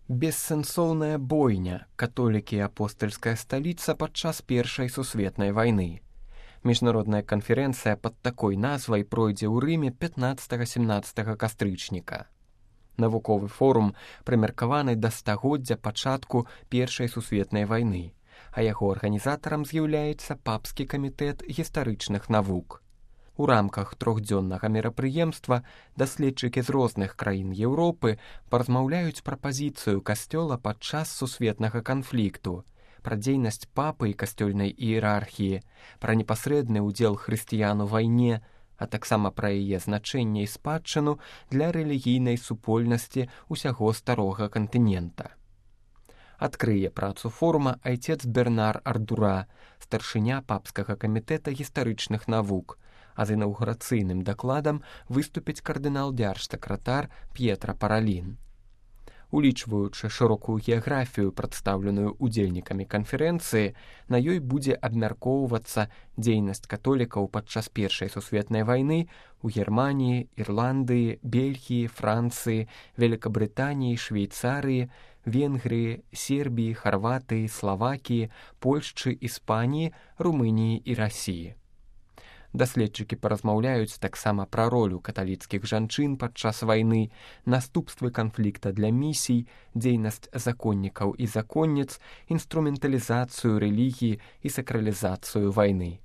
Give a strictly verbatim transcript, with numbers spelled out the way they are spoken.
Бессэнсоўная бойня, католікі і апостальская сталіца падчас Першай сусветнай вайны. Міжнародная канферэнцыя пад такой назвай пройдзе ў Рыме пятнаццатага-семнаццатага кастрычніка. Навуковы форум прымеркаваны да стагоддзя пачатку Першай сусветнай вайны, а яго арганізатарам з'яўляецца папскі камітэт гістарычных навук. У рамках трохдзённага мерапрыемства даследчыкі з розных краін Еўропы паразмаўляюць пра пазіцыю касцёла падчас сусветнага канфлікту, пра дзейнасць папы і касцёльнай іерархіі, пра непасрэдны ўдзел хрысціян у вайне, а таксама пра яе значэнне і спадчыну для рэлігійнай супольнасці ўсяго старога кантынента. Адкрые працу форума айцец Бернар Ардура, старшыня папскага камітэта гістарычных навук, а з інаўгурацыйным дакладам выступіць кардынал-дзяржсакратар П'етра Паралін. Улічваючы шырокую геаграфію, прадстаўленую удзельнікамі канферэнцыі, на ёй будзе абмяркоўвацца дзейнасць католікаў падчас Першай сусветнай вайны ў Германіі, Ірландыі, Бельгіі, Францыі, Великабрытаніі, Швейцарыі, Венгрыі, Сербіі, Харватыі, Славакіі, Польшчы, Іспаніі, Румыніі і Расіі. Даследчыкі паразмаўляюць таксама пра ролю каталіцкіх жанчын падчас вайны, наступствы канфлікта для місій, дзейнасць законнікаў і законніц, інструменталізацыю рэлігіі і сакралізацыю вайны.